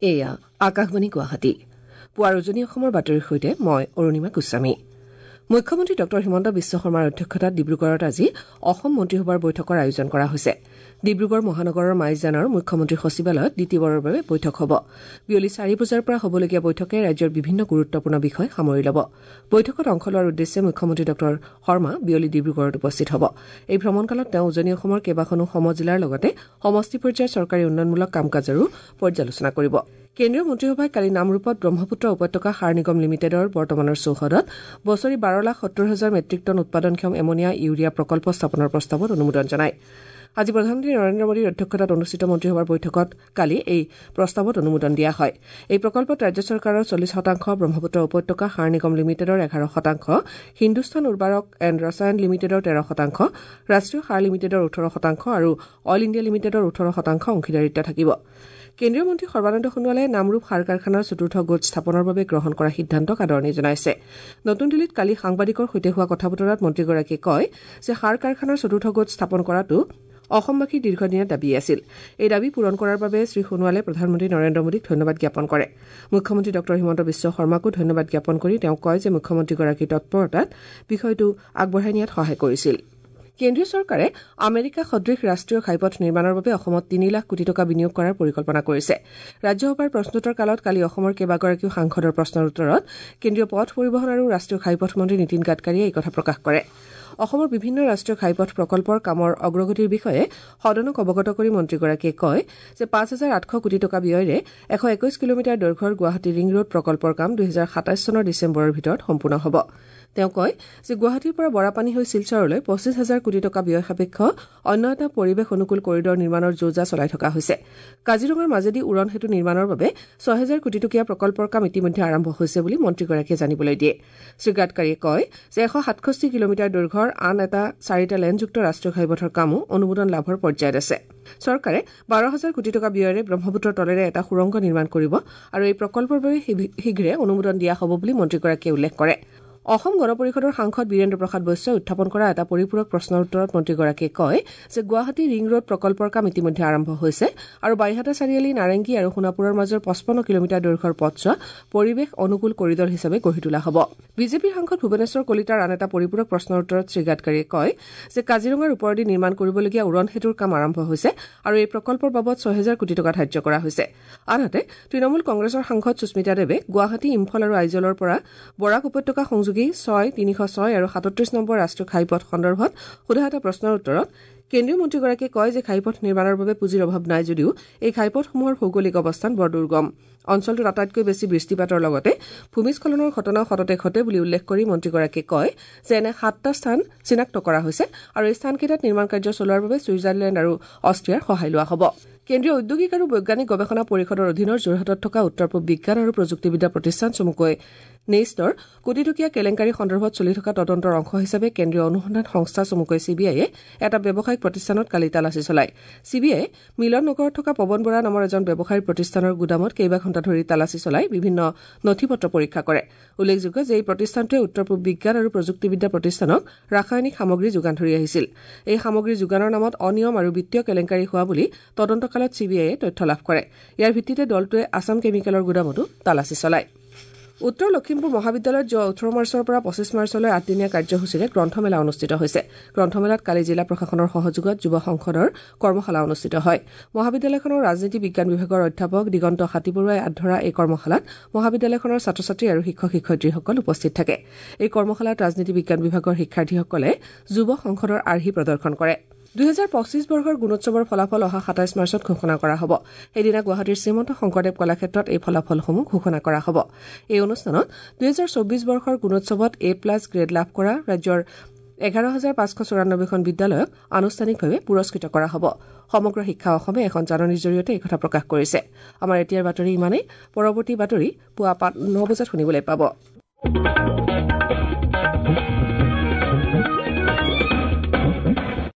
এয়া আকাশবাণী গুৱাহাটী। পুৱাৰ উজনি অসমৰ বাতৰিৰ সৈতে মই অৰুণিমা গোস্বামী। মুখ্যমন্ত্ৰী ডঃ হিমন্ত বিশ্ব শৰ্মাৰ অধ্যক্ষতাত ডিব্ৰুগড়ত আজি অসম মন্ত্ৰীসভাৰ বৈঠকৰ আয়োজন কৰা হৈছে। ডিব্ৰুগড় মহানগৰৰ মাইজানৰ মুখ্যমন্ত্ৰী সচিবালয়ত দ্বিতীয়বাৰৰ বাবে বৈঠক হ'ব। বিয়লি 4 বজাৰ পৰা হ'বলগীয়া বৈঠকে ৰাজ্যৰ বিভিন্ন গুৰুত্বপূৰ্ণ বিষয় সামৰি ল'ব। বৈঠকত অংশ লোৱাৰ উদ্দেশ্যে মুখ্যমন্ত্ৰী ডঃ শৰ্মা বিয়লি ডিব্ৰুগড়ত উপস্থিত হ'ব। এই ভ্ৰমণকালত তেওঁ উজনি অসমৰ কেইবাখনো সমজিলাৰ লগতে সমষ্টি পৰ্যায়ৰ চৰকাৰী উন্নয়নমূলক কাম কাজৰো পৰ্যালোচনা কৰিব। কেন্দ্ৰীয় মন্ত্ৰীসভাই কালি নামৰূপত ব্ৰহ্মপুত্ৰ উপত্যকা সাৰ নিগম লিমিটেডৰ বৰ্তমানৰ চৌহদত বছৰি 12,70,000 মেট্ৰিক টন উৎপাদনক্ষম এমনিয়া ইউৰিয়া প্ৰকল্প স্থাপনৰ প্ৰস্তাৱত অনুমোদন জনায়। আজি প্ৰধানমন্ত্ৰী নৰেন্দ্ৰ মোদীৰ অধ্যক্ষতাত অনুষ্ঠিত মন্ত্ৰীসভাৰ বৈঠকত কালি এই প্ৰস্তাৱত অনুমোদন দিয়া হয়। এই প্ৰকল্পত ৰাজ্য চৰকাৰৰ 40%, ব্ৰহ্মপুত্ৰ উপত্যকা সাৰ নিগম লিমিটেডৰ 11%, হিন্দুস্তান উৰ্বাৰক এণ্ড ৰসায়ন লিমিটেডৰ 13%, ৰাষ্ট্ৰীয় সাৰ লিমিটেডৰ 18% আৰু অইল ইণ্ডিয়া লিমিটেডৰ 18% অংশীদাৰিত্ব থাকিব। কেন্দ্ৰীয় মন্ত্ৰী সৰ্বানন্দ সোণোৱালে নামৰূপ সাৰ কাৰখানাৰ চতুৰ্থ গোট স্থাপনৰ বাবে গ্ৰহণ কৰা সিদ্ধান্তক আদৰণি জনাইছে। নতুন দিল্লীত কালি সাংবাদিকৰ সৈতে হোৱা কথা বতৰাত মন্ত্ৰীগৰাকীয়ে কয় যে সাৰ কাৰখানাৰ চতুৰ্থ গোট স্থাপন কৰাটো অসমবাসীৰ দীৰ্ঘদিনীয়া দাবী আছিল। এই দাবী পূৰণ কৰাৰ বাবে শ্ৰীসোণোৱালে প্ৰধানমন্ত্ৰী নৰেন্দ্ৰ মোদীক ধন্যবাদ জ্ঞাপন কৰে। মুখ্যমন্ত্ৰী ডঃ হিমন্ত বিশ্ব শৰ্মাকো ধন্যবাদ জ্ঞাপন কৰি তেওঁ কয় যে মুখ্যমন্ত্ৰীগৰাকীৰ তৎপৰতাত বিষয়টো আগবঢ়াই নিয়াত সহায় কৰিছিল। কেন্দ্ৰীয় চৰকাৰে আমেৰিকা সদৃশ ৰাষ্ট্ৰীয় ঘাইপথ নিৰ্মাণৰ বাবে অসমত 3 লাখ কোটি টকা বিনিয়োগ কৰাৰ পৰিকল্পনা কৰিছে। ৰাজ্যসভাৰ প্ৰশ্নোত্তৰ কালত কালি অসমৰ কেইবাগৰাকীও সাংসদৰ প্ৰশ্নৰ উত্তৰত কেন্দ্ৰীয় পথ পৰিবহণ আৰু ৰাষ্ট্ৰীয় ঘাইপথ মন্ত্ৰী নীতিন গাডকাৰীয়ে এই কথা প্ৰকাশ কৰে। অসমৰ বিভিন্ন ৰাষ্ট্ৰীয় ঘাইপথ প্ৰকল্পৰ কামৰ অগ্ৰগতিৰ বিষয়ে সদনক অৱগত কৰি মন্ত্ৰীগৰাকীয়ে কয় যে 5,800 কোটি টকা ব্যয়েৰে 121 কিলোমিটাৰ দৈৰ্ঘ্যৰ গুৱাহাটী ৰিং ৰোড প্ৰকল্পৰ কাম 2027 চনৰ ডিচেম্বৰৰ ভিতৰত সম্পূৰ্ণ হ'ব। তেওঁ কয় যে গুৱাহাটীৰ পৰা বৰাপানী হৈ শিলচৰলৈ 25,000 কোটি টকা ব্যয় সাপেক্ষ অন্য এটা পৰিৱেশ অনুকূল কৰিডৰ নিৰ্মাণৰ যো-জা চলাই থকা হৈছে। কাজিৰঙাৰ মাজেদি উৰণ সেতু নিৰ্মাণৰ বাবে 6,000 কোটি টকীয়া প্ৰকল্পৰ কাম ইতিমধ্যে আৰম্ভ হৈছে বুলি মন্ত্ৰীগৰাকীয়ে জানিবলৈ দিয়ে। শ্ৰীগাডকাৰীয়ে কয় যে 167 কিলোমিটাৰ দৈৰ্ঘ্যৰ আন এটা 4টা লেনযুক্ত ৰাষ্ট্ৰীয় ঘাইপথৰ কামো অনুমোদন লাভৰ পৰ্যায়ত আছে। চৰকাৰে 12,000 কোটি টকা ব্যয়েৰে ব্ৰহ্মপুত্ৰৰ তলেৰে এটা সুৰংগ নিৰ্মাণ কৰিব আৰু এই প্ৰকল্পৰ বাবে শীঘ্ৰে অনুমোদন দিয়া হ'ব বুলি মন্ত্ৰীগৰাকীয়ে উল্লেখ কৰে। অসম গণ পৰিষদৰ সাংসদ বীৰেন্দ্ৰ প্ৰসাদ বৈশ্যই উত্থাপন কৰা এটা পৰিপূৰক প্ৰশ্নৰ উত্তৰত মন্ত্ৰীগৰাকীয়ে কয় যে গুৱাহাটী ৰিং ৰোড প্ৰকল্পৰ কাম ইতিমধ্যে আৰম্ভ হৈছে আৰু বাইহাটা চাৰিআলি, নাৰেংগী আৰু সোণাপুৰৰ মাজৰ 55 কিলোমিটাৰ দৈৰ্ঘ্যৰ পথছোৱা পৰিৱেশ অনুকূল কৰিডৰ হিচাপে গঢ়ি তোলা হ'ব। বিজেপিৰ সাংসদ ভুৱনেশ্বৰ কলিতাৰ আন এটা পৰিপূৰক প্ৰশ্নৰ উত্তৰত শ্ৰীগাডকাৰীয়ে কয় যে কাজিৰঙাৰ ওপৰেদি নিৰ্মাণ কৰিবলগীয়া উৰণ সেতুৰ কাম আৰম্ভ হৈছে আৰু এই প্ৰকল্পৰ বাবদ 6,000 কোটি টকা ধাৰ্য কৰা হৈছে। আনহাতে তৃণমূল কংগ্ৰেছৰ সাংসদ সুস্মিতা দেৱে গুৱাহাটী, ইম্ফল আৰু আইজলৰ পৰা বৰাক উপত্যকা সংযোগী 6, 306 আৰু 37 নম্বৰ ৰাষ্ট্ৰীয় ঘাইপথ সন্দৰ্ভত সোধা এটা প্ৰশ্নৰ উত্তৰত কেন্দ্ৰীয় মন্ত্ৰীগৰাকীয়ে কয় যে ঘাইপথ নিৰ্মাণৰ বাবে পুঁজিৰ অভাৱ নাই যদিও এই ঘাইপথসমূহৰ ভৌগোলিক অৱস্থান বৰ দুৰ্গম। অঞ্চলটোত আটাইতকৈ বেছি বৃষ্টিপাতৰ লগতে ভূমিস্খলনৰ ঘটনাও সততে ঘটে বুলি উল্লেখ কৰি মন্ত্ৰীগৰাকীয়ে কয় যে এনে 7টা স্থান চিনাক্ত কৰা হৈছে আৰু এই স্থানকেইটাত নিৰ্মাণ কাৰ্য চলোৱাৰ বাবে ছুইজাৰলেণ্ড আৰু অষ্ট্ৰিয়াৰ সহায় লোৱা হ'ব। কেন্দ্ৰীয় ঔদ্যোগিক আৰু বৈজ্ঞানিক গৱেষণা পৰিষদৰ অধীনৰ যোৰহাটত থকা উত্তৰ পূব বিজ্ঞান আৰু প্ৰযুক্তিবিদ্যা প্ৰতিষ্ঠান চমুকৈ নেইষ্টৰ কোটিটকীয়া কেলেংকাৰী সন্দৰ্ভত চলি থকা তদন্তৰ অংশ হিচাপে কেন্দ্ৰীয় অনুসন্ধান সংস্থা চমুকৈ চিবিআইয়ে এটা ব্যৱসায়িক প্ৰতিষ্ঠানত কালি তালাচী চলায়। চিবিআইয়ে মিলন নগৰত থকা পৱন বৰা নামৰ এজন ব্যৱসায়ীৰ প্ৰতিষ্ঠানৰ গুদামত কেইবা ঘণ্টা ধৰি তালাচী চলাই বিভিন্ন নথি পত্ৰ পৰীক্ষা কৰে। উল্লেখযোগ্য যে এই প্ৰতিষ্ঠানটোৱে উত্তৰ পূব বিজ্ঞান আৰু প্ৰযুক্তিবিদ্যা প্ৰতিষ্ঠানক ৰাসায়নিক সামগ্ৰী যোগান ধৰি আহিছিল। এই সামগ্ৰী যোগানৰ নামত অনিয়ম আৰু বিত্তীয় কেলেংকাৰী হোৱা বুলি তদন্তকালত চিবিআইয়ে তথ্য লাভ কৰে। ইয়াৰ ভিত্তিতে দলটোৱে আছাম কেমিকেলৰ গুদামতো তালাচী চলায়। উত্তৰ লখিমপুৰ মহাবিদ্যালয়ত যোৱা 18 মাৰ্চৰ পৰা 25 মাৰ্চলৈ 8দিনীয়া কাৰ্যসূচীৰে গ্ৰন্থমেলা অনুষ্ঠিত হৈছে। গ্ৰন্থমেলাত কালি জিলা প্ৰশাসনৰ সহযোগত যুৱ সংসদৰ কৰ্মশালা অনুষ্ঠিত হয়। মহাবিদ্যালয়খনৰ ৰাজনীতি বিজ্ঞান বিভাগৰ অধ্যাপক দিগন্ত হাতীবৰুৱাই আঁত ধৰা এই কৰ্মশালাত মহাবিদ্যালয়খনৰ ছাত্ৰ ছাত্ৰী আৰু শিক্ষক শিক্ষয়িত্ৰীসকল উপস্থিত থাকে। এই কৰ্মশালাত ৰাজনীতি বিজ্ঞান বিভাগৰ শিক্ষাৰ্থীসকলে যুৱ সংসদৰ আৰ্হি প্ৰদৰ্শন কৰে। 2025 বৰ্ষৰ গুণোৎসৱৰ ফলাফল অহা 27 মাৰ্চত ঘোষণা কৰা হ'ব। সেইদিনা গুৱাহাটীৰ শ্ৰীমন্ত শংকৰদেৱ কলাক্ষেত্ৰত এই ফলাফলসমূহ ঘোষণা কৰা হ'ব। এই অনুষ্ঠানত 2024 বৰ্ষৰ গুণোৎসৱত এ প্লাছ গ্ৰেড লাভ কৰা ৰাজ্যৰ 11,594খন বিদ্যালয়ক আনুষ্ঠানিকভাৱে পুৰস্কৃত কৰা হ'ব। সমগ্ৰ শিক্ষা অসমে এখন জাননীৰ জৰিয়তে এই কথা প্ৰকাশ কৰিছে। আমাৰ এতিয়াৰ বাতৰি ইমানেই। পৰৱৰ্তী বাতৰি পুৱা 9 বজাত শুনিবলৈ পাব।